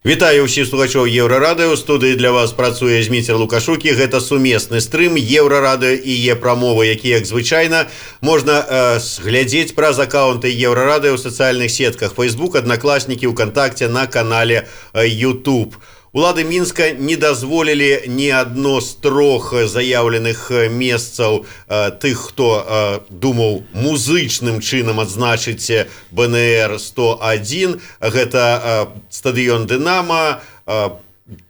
Вітаю ўсіх слухачоў Еўрарадыё. У студыі для вас працуе Зміцер Лукашукі. Гэта сумесны стрым Еўрарадыё і Е-прамовы, які, як звычайна, можна глядзець праз аккаунты Еўрарадыё ў сацыяльных сетках Facebook, Аднакласнікі, ВКонтакте, на канале YouTube. Улады Мінска не дазволілі ні адно з трох заяўленых месцаў тых, хто думаў музычным чынам адзначыць БНР-101. Гэта стадыён «Дынама»,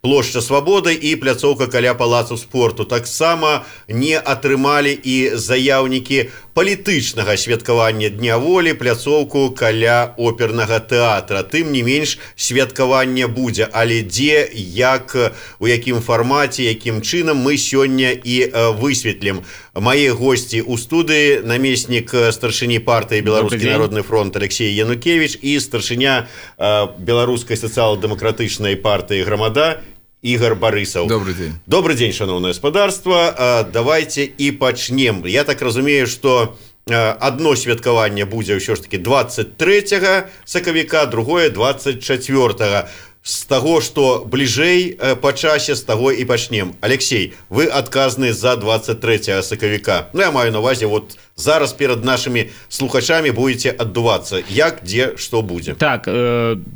плошча Свабоды і пляцоўка каля палацу спорту. Таксама не атрымалі і заяўнікі палітычнага святкавання Дня волі, пляцоўку каля опернага тэатра. Тым не менш, святкаванне будзе, але дзе, як, у якім фармаце, якім чынам, мы сёння і высветлім. Мае госці ў студыі: намеснік старшыні партыі Беларускі народны фронт Алексей Янукевич і старшыня Беларускай сацыял-дэмакратычнай партыі Грамада Ігор Барысаў. Добрый день. Добрый день, шановное господарство. Давайте і пачнем. Я так разумею, што одно святкаванне будзе ўсё ж таки 23 сакавіка, другое 24. З таго, што бліжэй па часе, з таго і пачнем. Алексей, вы адказны за 23 сакавіка. Ну, я маю на увазе, вот зараз перад нашымі слухачамі будете аддувацца. Як, дзе, што будзе? Так,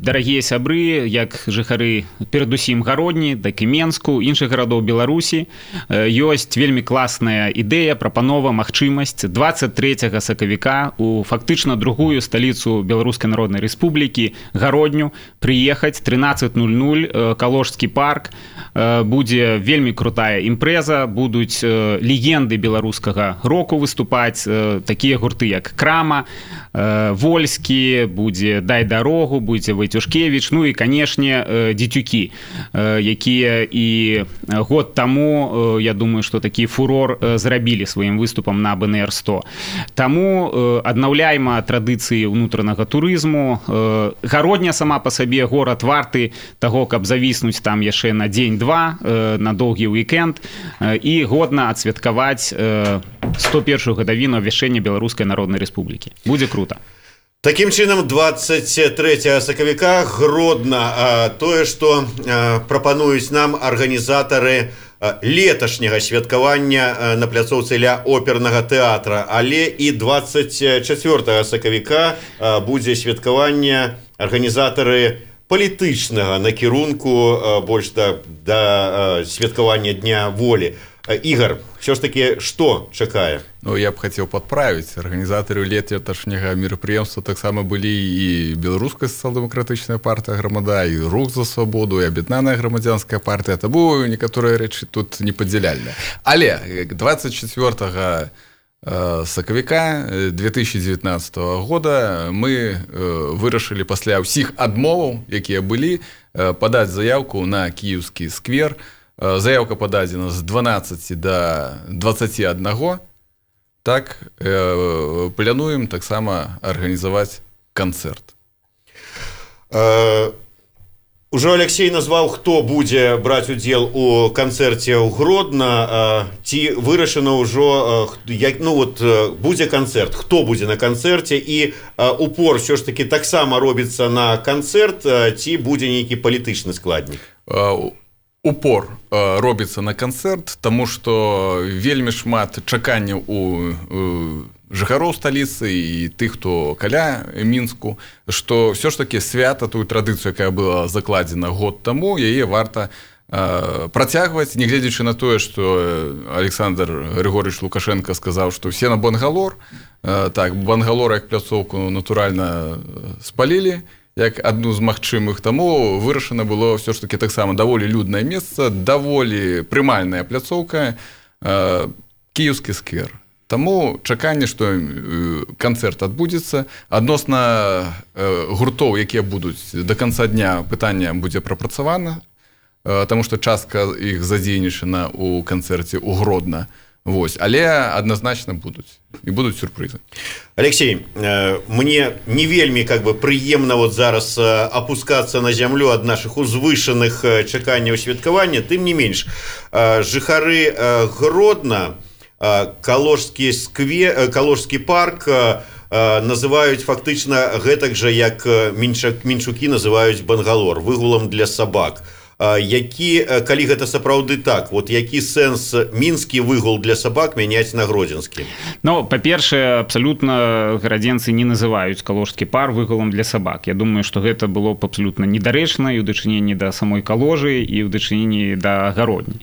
дарагія сябры, як жыхары перадусім Гародні, так і Менску, іншых гарадоў Беларусі, ёсць вельмі класная ідэя, прапанова, магчымасць 23 сакавіка у фактычна другую сталіцу Беларускай Народнай Рэспублікі, Гародню, прыехаць 13:00, Калошскі парк. Будзе вельмі крутая імпрэза, будуць легенды беларускага року выступаць, такія гурты, як Крама, Вольскі, будзе Дай дарогу, будзе Вайцюшкевіч, ну і, канешне, Дзецюкі, якія і год таму, я думаю, што такі фурор зрабілі сваім выступам на БНР-100. Таму аднаўляйма традыцыі ўнутранага турызму. Гародня сама па сабе горад варты таго, каб завіснуць там яшчэ на дзень-два, на доўгі уікенд, і годна адсвяткаваць 101-ю гадавіну абвяшчэння Беларускай Народнай Рэспублікі. Будзе крута. Такім чынам, 23 сакавіка Гродна. Тое, што прапануюць нам арганізатары леташняга святкавання на пляцоўцы ля опернага тэатра, але і 24 сакавіка будзе святкаванне арганізатары палітычнага накірунку, больш да святкавання Дня волі. Ігор, все ж таки, што чакае? Ну, я б хацеў падправіць. Арганізатары леташняга мерапрыемства таксама былі і Беларуская сацыял-дэмакратычная партыя Грамада, і Рух за свабоду, і Аб'яднаная грамадзянская партыя. Таму некаторыя рэчы тут непадзяляльныя. Але 24 сакавіка 2019 года мы вырашылі пасля ўсіх адмоваў, якія былі, падаць заяўку на Кіеўскі сквер. Заяўка пададзена з 12 до 21. Так, плануем таксама арганізаваць канцэрт. Ужо Алексей назваў, хто будзе браць удзел у канцэрце ў Гродна. Ці вырашана ўжо, будзе канцэрт, хто будзе на канцэрце, і упор ўсё ж таки таксама робіцца на канцэрт, ці будзе нейкі палітычны складнік? Упор робіцца на канцэрт, таму што вельмі шмат чаканняў у жыхароў сталіцы і тых, хто каля Мінску, што ўсё ж такі свята, тую традыцыю, якая была закладзена год таму, яе варта працягваць, нягледзячы на тое, што Александр Григорьевич Лукашенко сказаў, што все на Бангалор. Так, Бангалор як пляцоўку натуральна спалілі, як адну з магчымых, таму вырашана было ўсё ж такі таксама даволі люднае месца, даволі прымальная пляцоўка, Кіеўскі сквер. Таму чаканне, што канцэрт адбудзецца. Адносна гуртоў, якія будуць да канца дня, пытанне будзе прапрацавана, таму што частка іх задзейнічана ў канцэрце ў Гродна. Вось, але адназначна будуць. І будуць сюрпрызы. Алексей, мне не вельмі прыемна вот зараз апускацца на зямлю ад нашых узвышаных чаканняў святкавання. Тым не менш, жыхары Гродна, Калошскі парк, называюць фактычна гэтак жа, як менчукі называюць Бангалор, выгулам для сабак. Калі гэта сапраўды так, вот які сэнс мінскі выгул для сабак мяняць на гродзенскі? Ну, па-першае, абсалютна гарадзенцы не называюць каложскі пар выгулам для сабак. Я думаю, што гэта было б абсалютна недарэчна і ў дачыненні да самой каложы, і ў дачыненні да гародні.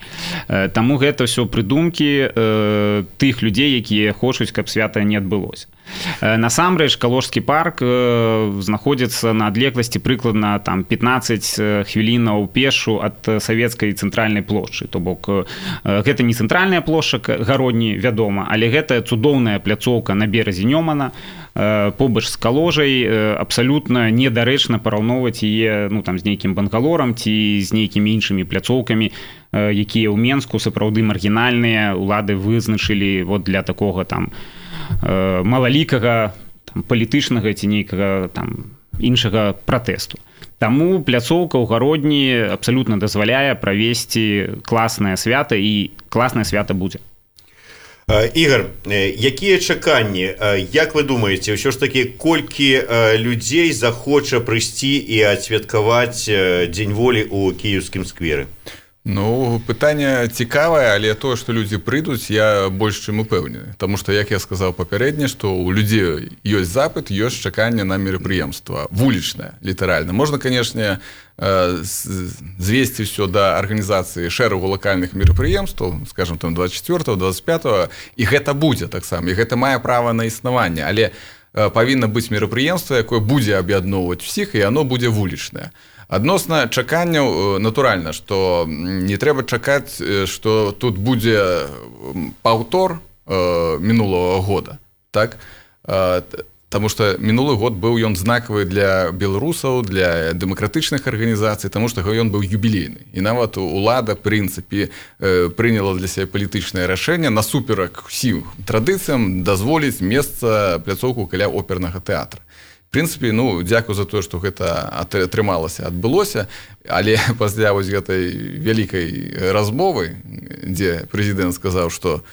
Таму гэта ўсё прыдумкі тых людзей, якія хочуць, каб свята не адбылося. Насамрэч, каложскі парк знаходзіцца на адлегласці прыкладна 15 хвілінаў пешу ад савецкай цэнтральнай плошчы. То бок, гэта не цэнтральная плошча гародні, вядома, але гэта цудоўная пляцоўка на беразе Нёмана, побач з каложай, абсалютна недарэчна параўноўваць яе з нейкім Бангалорам ці з нейкімі іншымі пляцоўкамі, якія ў Менску сапраўды маргінальныя, улады вызначылі для такога малалікага палітычнага ці нейкага іншага пратэсту. Таму пляцоўка ў гародні абсалютна дазваляе правесці класнае свята, і класнае свята будзе. Ігор, якія чаканні, як вы думаеце, ўсё ж такі колькі людзей захоча прыйсці і адсвяткаваць Дзень волі ў кіеўскім скверы? Ну, пытанне цікавае, але тое, што людзі прыйдуць, я больш чым упэўнены. Таму што, як я сказаў папярэдне, што ў людзей ёсць запыт, ёсць чаканне на мерапрыемства. Вулічнае, літаральна. Можна, канешне, звесці ўсё да арганізацыі шэрагу лакальных мерапрыемстваў, скажам, 24-го, 25-го, і гэта будзе таксама, і гэта мае права на існаванне. Але павінна быць мерапрыемства, якое будзе аб'ядноўваць усіх, і яно будзе вулічнае. Адносна чаканняў, натуральна, што не трэба чакаць, што тут будзе паўтор мінулага года, так? Таму што мінулы год быў ён знакавы для беларусаў, для дэмакратычных арганізацый, таму што ён быў юбілейны. І нават улада, в прынцыпе, прыняла для сябе палітычнае рашэнне насуперак усім традыцыям дазволіць месца пляцоўку каля опернага тэатра. В прынцыпе, дзякую за тое, што гэта атрымалася, адбылося, але пасля вось гэтай вялікай размовы, дзе прэзідэнт сказаў, што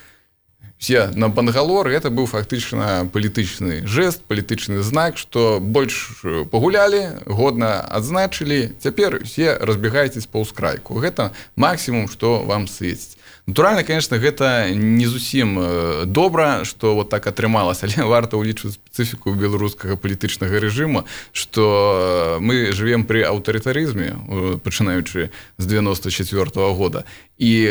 все на Бангалор, гэта быў фактычна палітычны жэст, палітычны знак, што больш пагулялі, годна адзначылі, цяпер все разбегайцесь па ўскрайку. Гэта максімум, што вам свеціць. Натуральна, конечно, гэта не зусім добра, што вот так атрымалася, але варта ўлічваць спецыфіку беларускага палітычнага рэжыму, што мы жывем пры аўтарытарызме, пачынаючы з 94-го года, і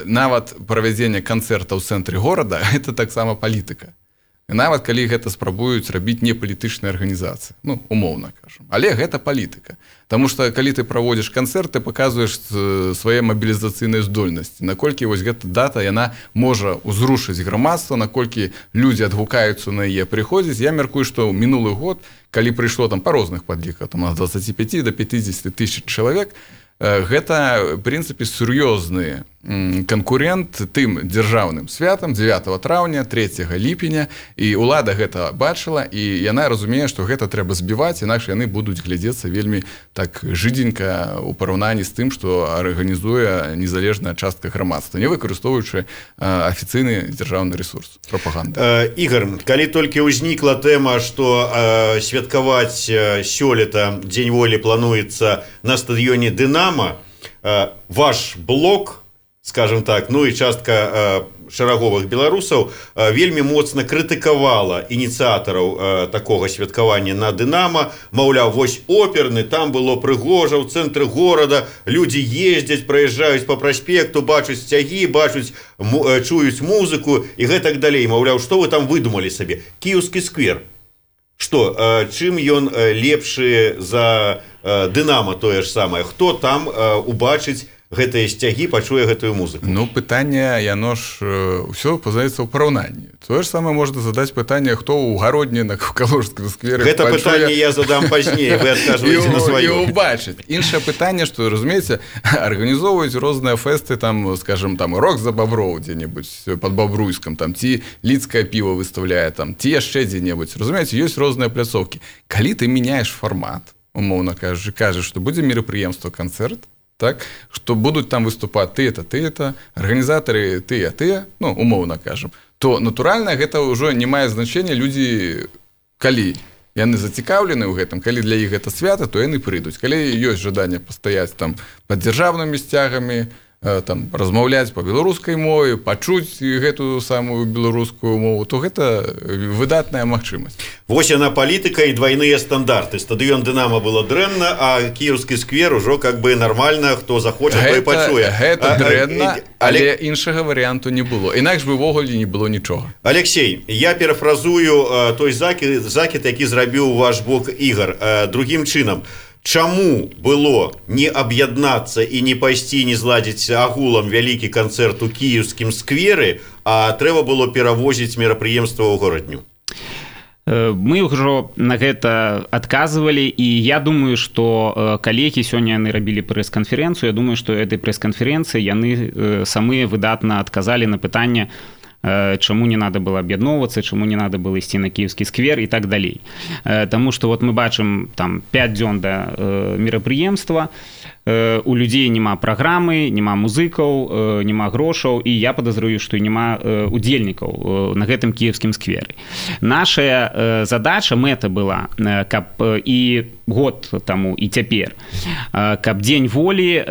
нават правядзенне канцэрта ў цэнтры горада – гэта таксама палітыка. Нават калі гэта спрабуюць рабіць не палітычныя арганізацыі, умоўна кажам. Але гэта палітыка. Таму што калі ты праводзіш канцэрт, ты паказваеш свае мабілізацыйныя здольнасці, наколькі вось гэта дата, яна можа ўзрушыць грамадства, наколькі людзі адгукаюцца на яе прыходзіць. Я мяркую, што мінулы год, калі прыйшло па розных падліках, ад 25 до 50 тысяч чалавек, гэта, в прынцыпе, сур'ёзны канкурент тым дзяржаўным святам 9 траўня, 3 ліпеня, і ўлада гэта бачыла, і яна разумее, што гэта трэба збіваць, інакш яны будуць глядзецца вельмі так жыдзенька ў параўнанні з тым, што арганізуе незалежная частка грамадства, не выкарыстоўваючы афіцыйны дзяржаўны ресурс, прапаганда. Ігор, калі толькі ўзнікла тэма, што святкаваць сёлета Дзень волі плануецца на стадыёне «Дынамо», ваш блок, скажем так, і частка шараговых беларусаў вельмі моцна крытыкавала ініцыятараў такога святкавання на «Дынамо», маўляў, вось оперны, там было прыгожа, ў цэнтры горада, людзі ездзяць, праязджаюць па праспекту, бачуць сцягі, чуюць музыку і гэтак далей. Маўляў, што вы там выдумалі сабе? Кіеўскі сквер. Што, чым ён лепшы за «Дынамо» тое ж самае? Хто там убачыць гэтыя сцягі, пачуе гэтую музыку? Пытанне, яно ж ўсё пазнаецца ў параўнанні. Тое ж самае можна задаць пытанне, хто ў гародні на каложскім сквере. Гэта пытанне я задам пазней, вы адказваеце на сваё. І убачыць. Іншае пытанне, што, разумееце, арганізоўваюць розныя фэсты, скажем, рок за Баброў дзе-небудзь пад Бабруйскам, ці лідскае піва выставляе, ці яшчэ дзе-небудзь. Разумееце, ёсць розныя пляцоўкі. Калі ты мяняеш фармат, умоўна кажаш, што будзе мерапрыемства, канцэрт, так, што будуць там выступаць ты-то, арганізатары тыя, умоўна кажам, то, натуральна, гэта ўжо не мае значэння, людзі калі яны зацікаўлены ў гэтым, калі для іх гэта свята, то яны прыйдуць. Калі ёсць жаданне пастаяць там пад дзяржаўнымі сцягамі, там размаўляць па беларускай мове, пачуць гэтую самую беларускую мову, то гэта выдатная магчымасць. Вось яна палітыка і двайныя стандарты. Стадыён Дынама было дрэнна, а кіеўскі сквер ужо как бы нармальна, хто захоча, той пачуе. Гэта дрэнна, але іншага варыянту не было. Інакш бы ўвогуле не было нічога. Алексей, я парафразую той закід, які зрабіў ваш бок Ігар, другім чынам. Чаму было не аб'яднацца і не пайсці, не зладзіць агулам вялікі канцэрт у кіеўскім скверы, а трэба было перавозіць мерапрыемства ў горадню? Мы ўжо на гэта адказвалі, і я думаю, што калегі сёння яны рабілі прэс-канферэнцыю. Я думаю, што этой прэс-канферэнцыі яны самыя выдатна адказалі на пытанне, чаму не надо было аб'ядноўвацца, чаму не надо было ісці на кіеўскі сквер і так далей. Таму што вот мы бачым там 5 дзён да мерапрыемства, у людзей няма праграмы, няма музыкаў, няма грошаў, і я падазрую, што няма удзельнікаў на гэтым кіеўскім скверы. Наша задача, мэта была, каб і год таму, і цяпер, каб Дзень волі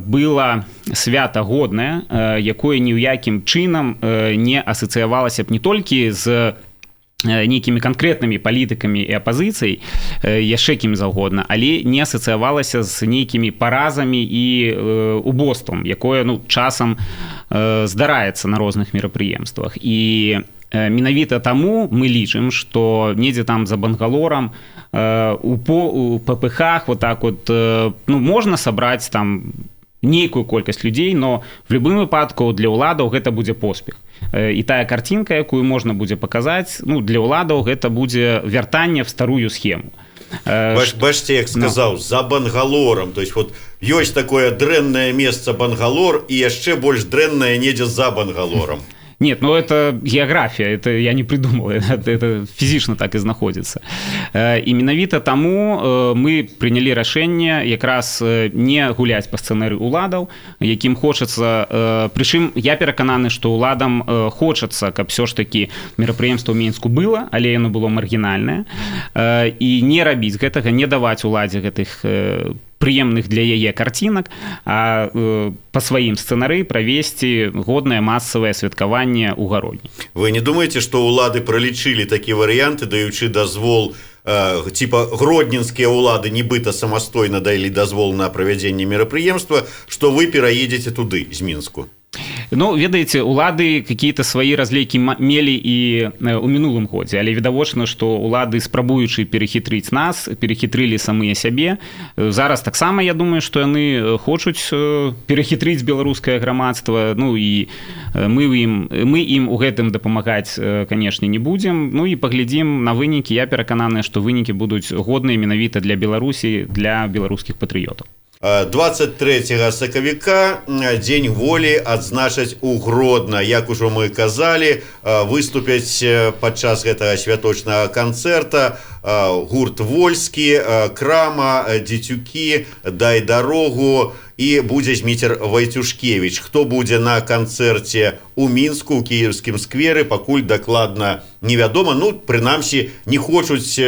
была свята годнае, якое ні ў якім чынам не асацыявалася б не толькі з нейкімі канкрэтнымі палітыкамі і апазіцыяй, яшчэ кім заўгодна, але не асацыявалася з нейкімі паразамі і убоствам, якое часам здараецца на розных мерапрыемствах. І менавіта таму мы лічым, што недзе там за Бангалорам у ППХ вот так вот можна сабраць там нейкую колькасць людзей, но в любым выпадку для ўладаў гэта будзе поспех. І тая карцінка, якую можна будзе паказаць, для ўладаў гэта будзе вяртанне в старую схему. Бачце, як сказаў, за Бангалорам, то есть вот ёсць такое дрэннае месца Бангалор і яшчэ больш дрэннае недзе за Бангалорам. Нет, это география, это я не придумал, это физично так и знаходится. И менавіта таму мы приняли рашэнне якраз не гуляць по сцэнарыю уладаў, якім хочацца, прычым я перакананы, што уладам хочацца, каб все ж таки мерапрыемства ў Мінску было, але яно было маргінальнае, і не рабіць гэтага, не даваць уладзе гэтых прыемных для яе карцінак, а па сваім сцэнары правесці годнае масавае святкаванне ў гародні. Вы не думаеце, што ўлады пралічылі такі варыянты, даючы дазвол, типа гродненскія ўлады нібыта самастойна далі дазвол на правядзенне мерапрыемства, што вы пераедзеце туды з Мінску? Ведаеце, улады какие-то свои разлейкі мелі і ў мінулым годзе, але відавочна, што улады, спрабуючы перахітрыць нас, перахітрылі самыя сябе. Зараз таксама, я думаю, што яны хочуць перахітрыць беларускае грамадства, і мы ім у гэтым дапамагаць, канешне, не будзем. І паглядзім на вынікі. Я перакананы, што вынікі будуць годныя менавіта для Беларусі, для беларускіх патрыётаў. 23 сакавіка Дзень волі адзначаць у Гродна. Як ужо мы казалі, выступяць падчас гэтага святочнага канцэрта гурт Вольскі, Крама, Дзецюкі, Дай дарогу і будзе Зміцер Вайцюшкевіч. Хто будзе на канцэрце ў Мінску, у кіеўскім скверы, пакуль дакладна невядома. Прынамсі, не хочуць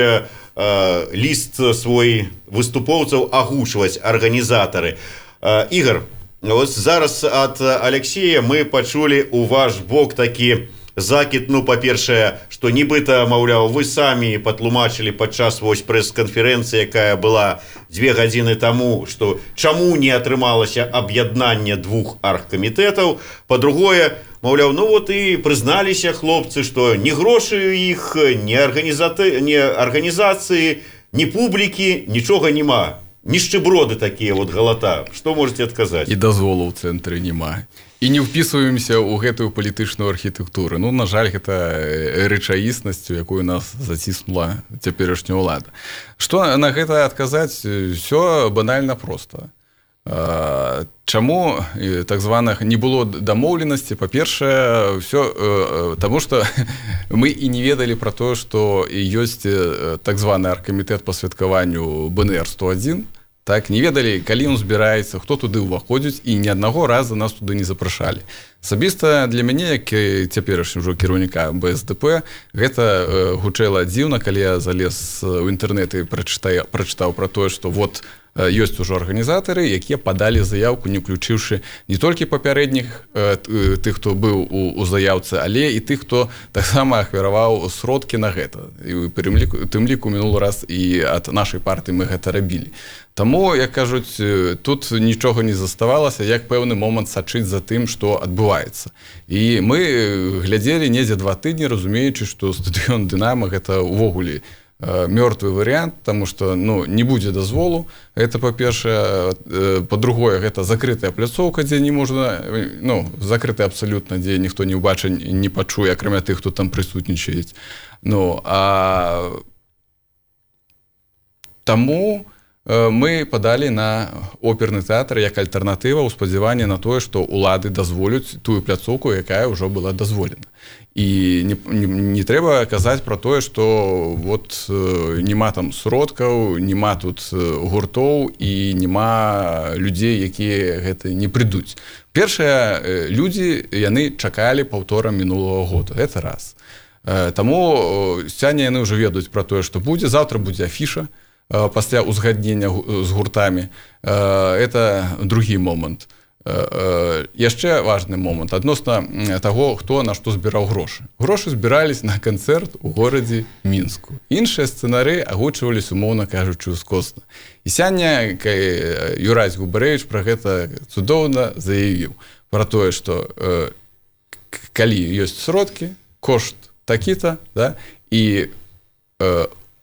ліст свой выступоўцаў агучваць арганізатары. Ігар, зараз ад Алексея мы пачулі у ваш бок такі закід, па-першае, што нібыта, маўляў, вы самі патлумачылі падчас прэс-канферэнцыі, якая была 2 гадзіны таму, што чаму не атрымалася аб'яднанне двух аргкамітэтаў. Па-другое, маўляў, і прызналіся хлопцы, што ні грошы ў іх, ні арганізацыі, ні публікі, нічога няма. Нішчыброды такія галата. Што можете адказаць? І дазволу ў цэнтры няма. І не ўпісваемся ў гэтую палітычную архітэктуру. На жаль, гэта рэчаіснасцю, якую нас заціснула цяперашняя ўлада. Што на гэта адказаць? Всё банальна проста. Чаму так званых не было дамоўленасці? Па-першае, таму што мы і не ведалі пра тое, што ёсць так званы аргкамітэт па святкаванню БНР-101. так, не ведалі, калі ён збіраецца, хто туды ўваходзіць, і ні аднаго разу нас туды не запрашалі. Асабіста для мяне, як цяперашні ўжо кіраўніка БСП, гэта гучэла дзіўна, калі я залез у інтэрнэт і прачытаў пра тое, што вот ёсць ужо арганізатары, якія падалі заявку, не ўключыўшы не толькі папярэдніх тых, хто быў у заяўцы, але і тых, хто таксама ахвяраваў сродкі на гэта. І тым ліку мінулы раз і ад нашай партыі мы гэта рабілі. Таму, як кажуць, тут нічога не заставалася, як пэўны момант сачыць за тым, што адбываецца. І мы глядзелі недзе 2 тыдні, разумеючы, што стадыён «Дынама» гэта ўвогуле мёртвы варыянт, таму што не будзе дазволу. Это, па-першае. Па-другое, гэта закрытая пляцоўка, дзе не можна, закрытая абсалютна, дзе ніхто не ўбачыць, не пачуе, акрамя тых, хто там прысутнічаюць. Таму мы падалі на оперны тэатр як альтэрнатыва ў спадзяванні на тое, што ўлады дазволяць тую пляцоўку, якая ўжо была дазволена. І не трэба казаць пра тое, што вот нема там сродкаў, нема тут гуртоў і нема людзей, якія гэта не прыйдуць. Першыя людзі, яны чакалі паўтора мінулага года. Гэта раз. Таму сёння яны ўжо ведаюць пра тое, што будзе. Заўтра будзе афіша пасля ўзгаднення з гуртамі. Это другі момант. Яшчэ важны момант адносна таго, хто на што збіраў грошы. Грошы збірались на канцэрт у горадзе Мінску. Іншыя сцэнары агучвались, умоўна кажучы, ускосна. І сёння Юрась Губарэвіч пра гэта цудоўна заявіў. Пра тое, што калі ёсць сродкі, кошт такі-то, і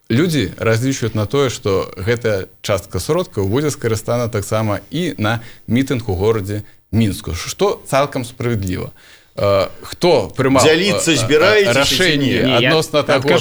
людзі разлічваюць на тое, што гэтая частка сродкаў будзе скарыстана таксама і на мітынг у горадзе Мінску, што цалкам справядліва. Хто прымаў рашэнне адносна таго,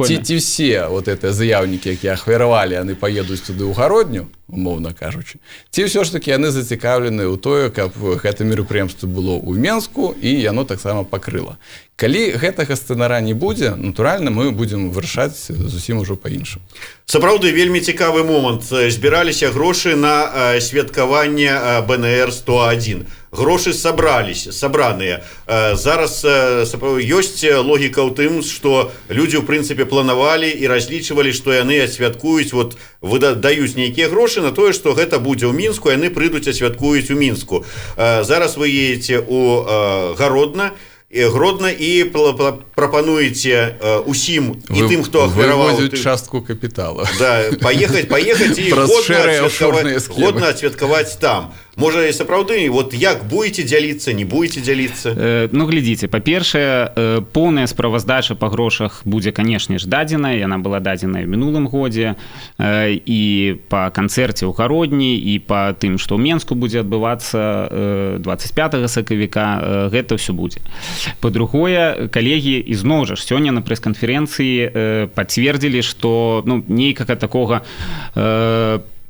ці все заяўнікі, якія ахвяравалі, яны паедуць туды ў гародню, умоўна кажучы, ці ўсё ж такі яны зацікаўлены ў тое, каб гэта мерапрыемства было ў Мінску і яно таксама пакрыла. Калі гэтага сцэнара не будзе, натуральна, мы будзем вырашаць зусім ужо па-іншаму. Сапраўды, вельмі цікавы момант. Збіраліся грошы на святкаванне БНР-101. Грошы сабраныя. Зараз ёсць логіка ў тым, што людзі, ў прынцыпе, планавалі і разлічвалі, што яны асвяткуюць, даюць нейкія грошы на тое, што гэта будзе ў Мінску, яны прыйдуць асвяткуюць у Мінску. Зараз вы едзеце ў Гродно і прапануеце усім і тым, хто ахвяраваў частку капітала. Паехаць і годна адсвяткаваць там. Можа, і сапраўды, як будете дзяліцца, не будете дзяліцца? Глядзіце, па-першае, поўная справаздача па грошах будзе, канешне ж, дадзеная. Яна была дадзеная ў мінулым годзе. І па канцэрце ў Гародні, і па тым, што ў Менску будзе адбывацца 25 сакавіка, гэта ўсё будзе. Па-другое, калегі, ізноў жа, сёння на прэс-канферэнцыі пацвердзілі, што нейкага такога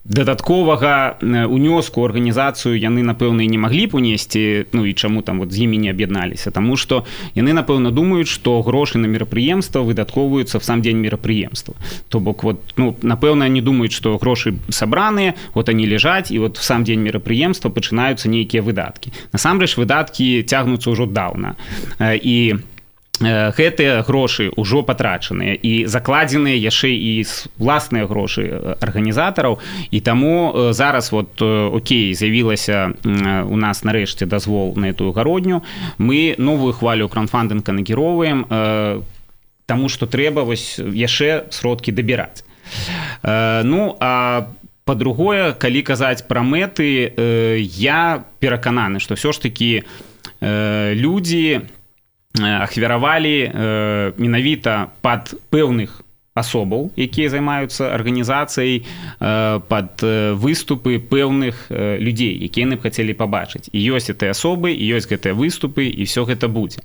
дадатковага унёску ў арганізацыю яны, напэўна, і не маглі б унесці, і чаму там з імі не аб'ядналіся, таму што яны, напэўна, думаюць, што грошы на мерапрыемства выдаткоўваюцца в сам дзень мерапрыемства. То бок, напэўна, они думаюць, што грошы сабраныя, они ляжаць, і в сам дзень мерапрыемства пачынаюцца нейкія выдаткі. Насамрэч, выдаткі цягнуцца ўжо даўна. І гэтыя грошы ўжо патрачаныя і закладзеныя яшчэ і власныя грошы арганізатараў, і таму зараз окей, з'явілася у нас нарэшце дазвол на эту гародню, мы новую хвалю краўдфандынга накіроўваем, таму што трэба яшчэ сродкі дабіраць. А па-другое, калі казаць пра мэты, я перакананы, што ўсё ж такі людзі ахвяравалі менавіта пад пэўных асобаў, якія займаюцца арганізацыяй, пад выступы пэўных людзей, якія яны б хацелі пабачыць. І ёсць гэтыя асобы, і ёсць гэтыя выступы, і ўсё гэта будзе.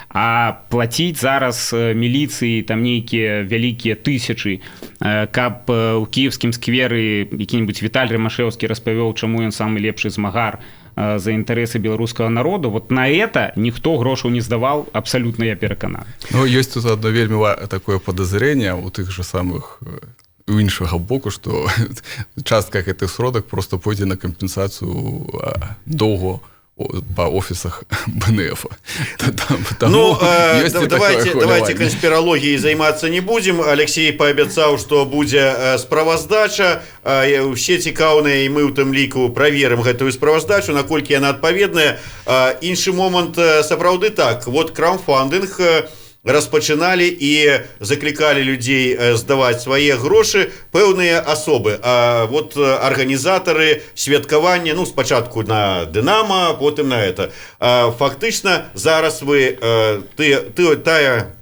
А плаціць зараз міліцыі там нейкія вялікія тысячы, каб у кіеўскім скверы які-небудзь Віталь Рымашэўскі распавёў, чаму ён самы лепшы змагар за інтарэсы беларускага народу, на это ніхто грошаў не здаваў, абсалютна я перакананы. Ёсць тут одно вельмі такое подазрение у тых же самых у іншага боку, што частка гэтых сродак просто пойдзе на кампенсацыю доўгу по офисах БНФ. Ну, давайте конспирологией заниматься не будем. Алексей пообещал, что будет справаздача. Все цікаўныя, и мы ў тым ліку проверим гэтую справаздачу, наколькі яна адпаведная. Іншы момант, сапраўды так. Вот краундфандинг распачыналі і заклікалі людзей здаваць свае грошы пэўныя асобы. А вот арганізатары святкавання, ну, спачатку на Дынамо, потым на это. Фактычна, зараз вы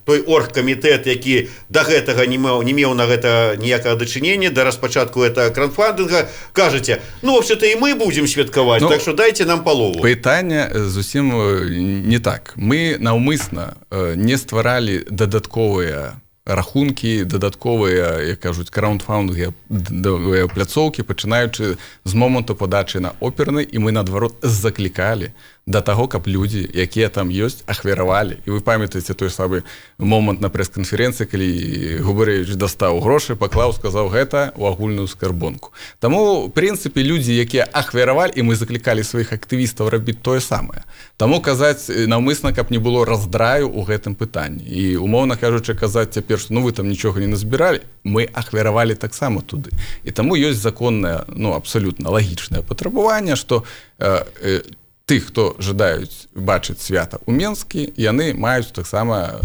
той оргкамітэт, які да гэтага не меў на гэта ніякага дачынення, да распачатку гэтага краундфандинга, кажаце, ну, вообще-то і мы будзем святкаваць, так што дайце нам палову. Пытанне зусім не так. Мы наўмысна не стваралі дадатковыя рахункі, дадатковыя, як кажуць, краундфандинговыя пляцоўкі, пачынаючы з моманту падачы на оперны, і мы, наадварот, заклікалі да таго, каб людзі, якія там ёсць, ахвяравалі. І вы памятаеце той самы момант на прэс-канферэнцыі, калі Губарэвіч дастаў грошы, паклаў, сказаў гэта ў агульную скарбонку. Таму, в прынцыпе, людзі, якія ахвяравалі, і мы заклікалі сваіх актывістаў рабіць тое самае. Таму казаць наўмысна, каб не было раздраю ў гэтым пытанні. І, умоўна кажучы, казаць цяпер, што ну вы там нічога не назбіралі, мы ахвяравалі таксама туды. І таму ёсць законнае, ну, абсалютна лагічнае патрабаванне, што тых, хто жадаюць бачыць свята ў Менскі, яны маюць таксама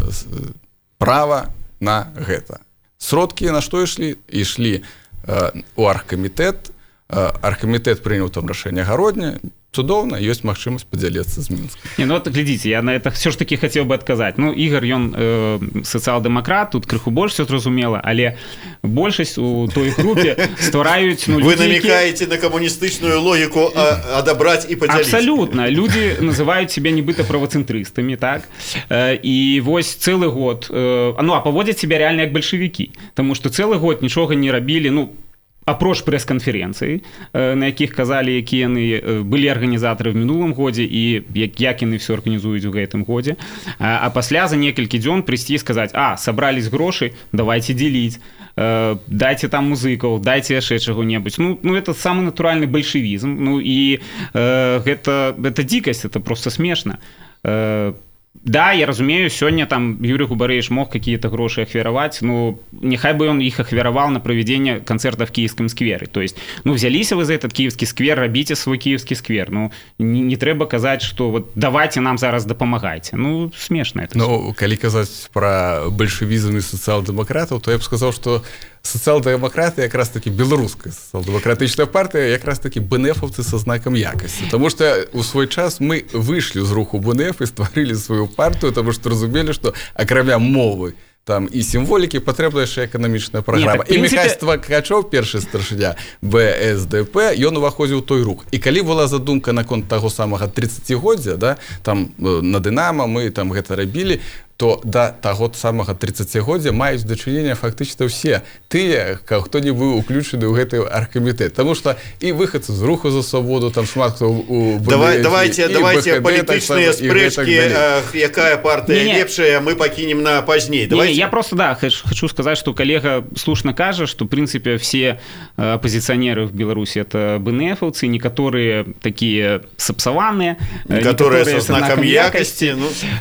права на гэта. Сродкі на што ішлі? Ішлі ў аргкамітэт. Аргкамітэт прыняў там рашэнне гародня. Цудоўна, ёсць магчымасць падзяліцца з Мінскам. Не, ну вот глядзіце, я на это все ж таки хотел бы адказаць. Ну, Ігор, ён сацыял-дэмакрат, тут крыху больш все зразумела, але большасць у той групе ствараюць... Ну, вы намекаете на камуністычную логіку адабраць і падзяліць. Абсолютно. Люди называюць себя нібыта правацэнтрыстамі, так? І вось цэлы год... Ну, а паводзяць себя реально як бальшавікі. Таму што цэлы год нічога не рабілі, ну, апроч прэс-канферэнцыі, на якіх казалі, якія яны былі арганізатары в мінулым годзе і як яны все арганізуюць у гэтым годзе. А пасля за некалькі дзён прыйсці і сказаць: сабрались грошы, давайте дзеліць, дайце там музыкаў, дайце яшчэ чаго-небудзь. Ну, это самы натуральны бальшавізм. Ну, і гэта дзікасць, это просто смешна. Да, я разумею, сёння там Юрий Губарэвіч мог какие-то гроши ахвяраваць, ну, нехай бы он их ахвяравал на проведение концерта в Киевском сквере. То есть, ну, взялись вы за этот Киевский сквер, рабіце свой Киевский сквер. Ну, не трэба казаць, что вот давайте нам зараз дапамагайце. Ну, смешно это. Ну, калі казаць про бальшавізм і сацыял-дэмакратаў, то я б сказаў, что сацыял-дэмакраты якраз таки беларуская сацыял-дэмакратычная партыя, якраз таки БНФовцы со знаком якасці. Потому что у свой час мы вышли з руху БНФ і стварылі сваю партию, потому что разумели, что акрамя мовы там і сімволікі патрэбна яшчэ эканамічная праграма. І Міхась Твакачоў, першы старшыня БСДП, ён уваходзіў той рух. І калі была задумка наконт таго самага 30годдзя, да, там на Дынамо мы там гэта рабілі, то да таго самага 30годдзя маюць дачыненне фактычна ўсе тыя, хто не быў уключаны ў гэты аргкамітэт. Таму што і выхадцы з руху за свабоду, там шмат хто у Давайте палітычныя спрэчкі, якая партыя лепшая, мы пакінем на пазней. Я просто, да, хочу сказать, что коллега слушно кажет, что, в принципе, все оппозиционеры в Беларуси это БНФовцы, некоторые такие сапсаванные, некоторые со знаком якости.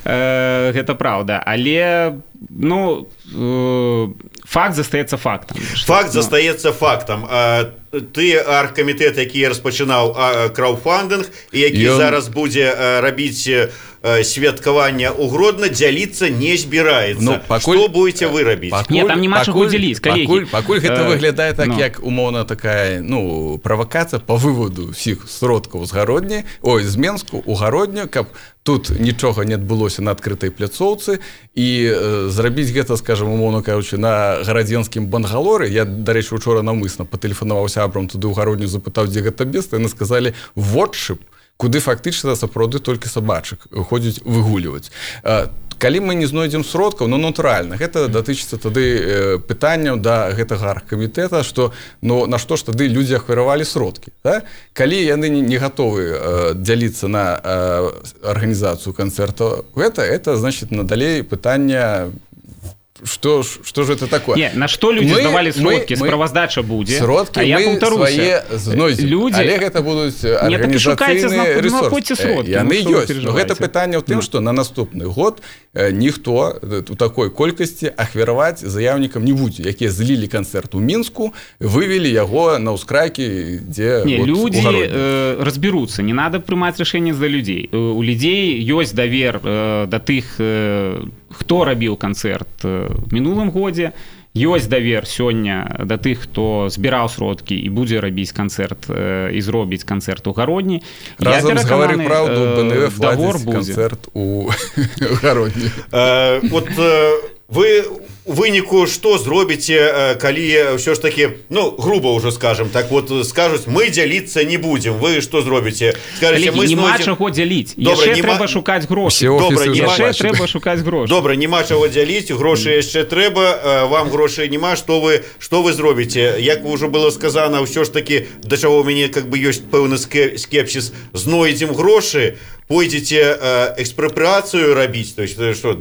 Это правда. Але, ну, факт застаецца фактам. Факт застаецца фактам. Ты аргкамітэт, які распачынаў краундфандинг і які зараз будзе рабіць святкаванне ў Гродно, дзяліцца не збіраецца. Ну, што будете вы рабіць? Нет, там нема чаго дзяліць, калегі. Пакуль гэта выглядае так, як умоўна такая, ну, правакацыя по выводу ўсіх сродкаў з Гародні, з Менску ў Гародню, каб тут нічога не адбылося на адкрытай пляцоўцы, і зрабіць гэта, скажем, умоўна кажучы, на гарадзенскім бангалоры. Я, дарэчы, учора наўмысна патэлефанаваў сябрам туды ў Гародню, запытаў, дзе гэта месца, яны сказалі водшып, куды фактычна сапраўды толькі сабачак ходзяць выгуліваць. Калі мы не знойдзем сродкаў, ну, натуральна, гэта датычыцца тады пытанняў да гэтага аргкамітэта, што, ну, на што ж тады людзі ахвяравалі сродкі, да? Калі яны не гатовы дзяліцца на арганізацыю канцэрта, гэта, значит, надалей пытання что же это такое? Не, на что люди здавалі сродкі, справаздача будзе. Сродкі мы свае знойдзем, але гэта будуць арганізацыйныя рэсурсы. Яны ёсць. Но гэта пытанне ў тым, што на наступны год ніхто у такой колькасці ахвяраваць заяўнікам не будзе, якія злілі канцэрт у Мінску, вывелі яго на ўскрайкі, дзе люди разберуцца, не надо прымаць рашэнне за людзей. У людзей ёсць давер да тых, хто рабіў канцэрт в мінулым годзе, ёсць давер сёння да тых, хто збіраў сродкі і будзе рабіць канцэрт і зробіць канцэрт у Гародні. Разам з «Гавары праўду» БНФ ладзіць канцэрт у Гародні. Вот вы у выніку што зробіце, калі ўсё ж такі, груба ўжо скажем, так вот скажуць, мы дзяліцца не будзем, вы што зробіце? Скажыце, мы няма чаго дзяліць, яшчэ трэба шукаць грошы. Яшчэ трэба шукаць грошы. Добра, няма чаго дзяліць, грошы яшчэ трэба, вам грошай няма, што вы зробіце? Як ўжо было сказана, ўсё ж такі, да чаго ў мяне ёсць пэўны скепсіс, знойдзем грошы, пойдзеце экспрапрыяцыю рабіць, то есть што,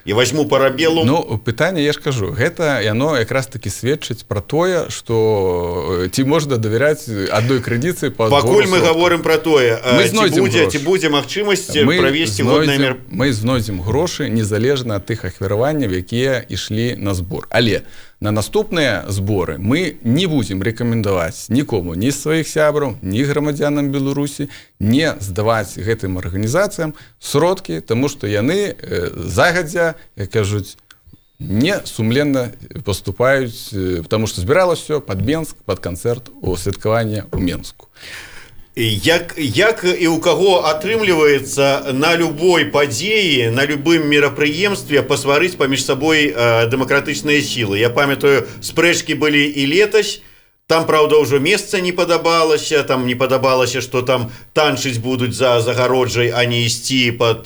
я возьму парабелу? Пытанне, я ж кажу, гэта яно якраз таки сведчыць пра тое, што ці можна давяряць адной крэдыцыі па збору. Пакуль мы гаворым пра тое, ці будзе магчымасць правесці годнае мер. Мы знойдзем грошы незалежна ад тых ахвяраванняў, якія ішлі на збор. Але на наступныя зборы мы не будзем рэкамендаваць нікому, ні сваіх сябраў, ні грамадзянам Беларусі не здаваць гэтым арганізацыям сродкі, таму што яны загадзя, як кажуць, не сумленна поступаюць, потому што збіралася ўсё пад Менск, пад канцэрт у святкаванне ў Менску. Як і ў каго атрымліваецца на любой падзеі, на любым мерапрыемстве пасварыць паміж сабой дэмакратычныя сілы? Я памятаю, спрэчкі былі і летась. Там, правда, ўжо месца не падабалася, што там танчыць будуць за загароджай, а не ісці пад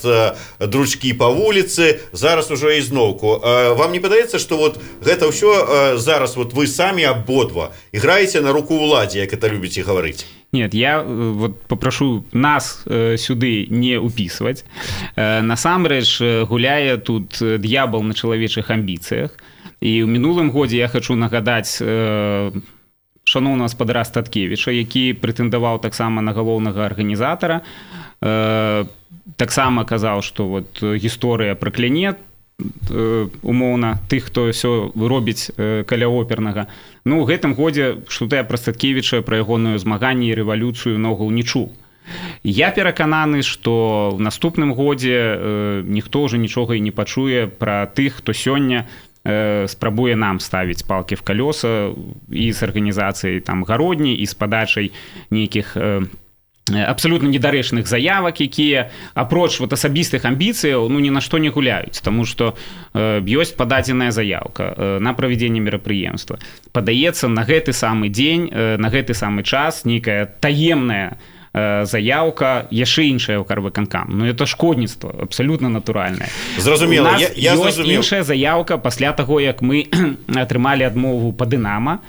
дручкі па вуліцы. Зараз ужо ізноўку. Вам не падаецца, што вот гэта ўсё зараз вот вы самі абодва іграеце на руку ўладзе, як это любіце гаварыць? Нет, я вот попрошу нас сюды не уписывать. Насамрэч гуляе тут д'ябал на чалавечых амбіцыях. І ў мінулым годзе я хочу нагадаць шаноўнага гаспадара Статкевіча, які прэтэндаваў таксама на галоўнага арганізатара. Таксама казаў, што вот гісторыя пракляне умоўна тых, хто ўсё робіць каля опернага. У гэтым годзе што-то я пра Статкевіча, пра ягоную змаганне і рэвалюцыю ногул не чуў. Я перакананы, што в наступным годзе ніхто ўжо нічога і не пачуе пра тых, хто сёння спрабуе нам ставіць палкі в калёса і з арганізацыяй там Гародні, і з падачай нейкіх абсолютно недарэчных заявак, якія апроч вот асабістых амбіцыяў ні на што не гуляюць, таму што ёсць пададзеная заявка на правядзенне мерапрыемства. Падаецца на гэты самы дзень, на гэты самы час нейкая таемная заявка, яшчэ іншая ў Карвыканкам. Это шкодніцтва, абсолютно натуральнае. Зразумела, я ёсць іншая заявка пасля таго, як мы атрымалі адмову па Дынама,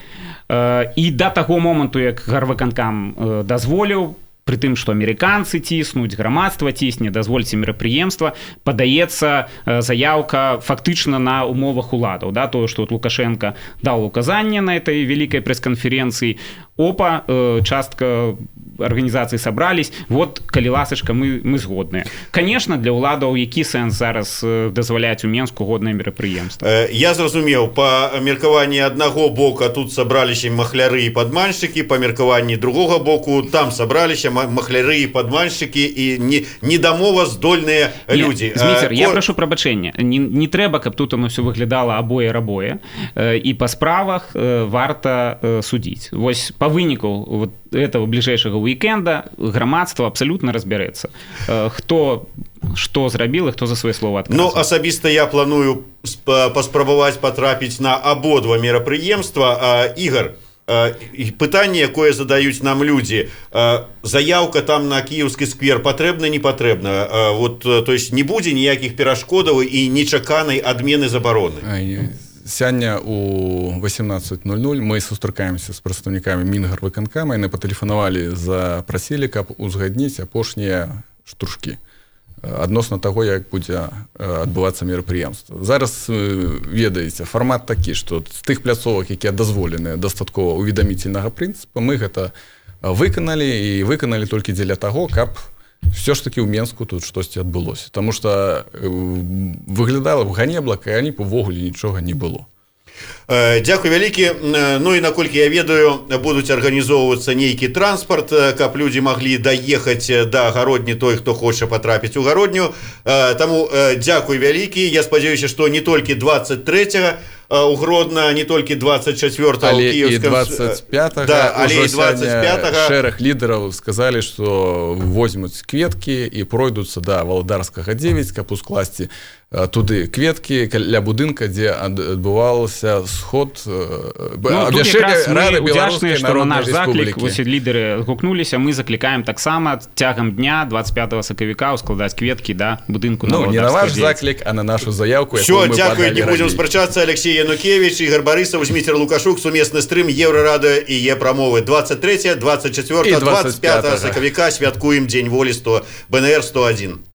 і да таго моманту, як Карвыканкам дазволіў, пры тым, што амерыканцы ціснуць, грамадства цісне, дазвольце мерапрыемства, падаецца заявка фактычна на умовах уладаў. Тое, што Лукашенко даў указанне на этой вялікай прэс-канферэнцыі, частка арганізацыі сабрались, вот, калі ласачка, мы згодныя. Конечно, для ўладаў які сэнс зараз дазваляць у Менску годнае мерапрыемства? Я зразумеў, па меркаванні аднаго боку тут сабраліся махляры і падманшчыкі, па меркаванні другога боку там сабраліся махляры і падманшчыкі і недамова здольныя людзі. Зміцер, я прашу прабачэння. Не трэба, каб тут оно все выглядала абое-рабое, і па справах варта судзіць. Вось па выніку вот этого бліжэйшага уікенда грамадства абсалютна разбярэцца. Хто што зрабіл і хто за свае словы адказвае. Асабіста я планую паспрабаваць патрапіць на абодва мерапрыемства. Ігор, пытанне, якое задаюць нам людзі, заявка там на Кіеўскі сквер патрэбна, не патрэбна? То есть не будзе ніякіх перашкодаў і нечаканай адмены забароны? Сёння у 18:00 мы сустракаемся з прадстаўнікамі Мінгарвыканкама, яны патэлефанавалі, запрасілі, каб узгадніць апошнія штуршкі. адносна таго, як будзе адбывацца мерапрыемства. Зараз ведаеце, фармат такі, што з тых пляцовак, якія дазволеныя дастаткова уведаміцельнага прынцыпа, мы гэта выканалі і выканалі толькі дзеля таго, каб все ж таки ў Менску тут штосьці адбылося. Таму што выглядала б ганебла, калі б увогуле нічога не было. Дзякуй вялікі. Ну і наколькі я ведаю, будуць арганізоўвацца нейкі транспарт, каб людзі маглі даехаць да Гародні, той, хто хоча патрапіць у Гародню. Таму дзякуй вялікі. Я спадзяюся, што не толькі 23-го у Гродно, не толькі 24-го, але і 25-го. Да, але і 25-го. Шэраг лідараў сказалі, што возьмуць кветкі і пройдуцца да Валадарскага 9, каб ускласці туды кветкі ля будынка, дзе адбываўся сход абвяшчэння беларускай народнай рэспублікі. Вось лідары гукнуліся, мы заклікаем таксама цягам дня 25 сакавіка ускладаць кветкі да будынку на Валадарскага 9. Не на ваш заклік, а на нашу заявку, якую мы падалі раней. Всё, дзякуй, не будзем спрачацца. Алексей Янукевич, Ігор Барысаў, Зміцер Лукашук, сумесны стрым Еўрарадыё і Е-прамовы. 23, 24, 25 сакавіка святкуем Дзень волі БНР 101.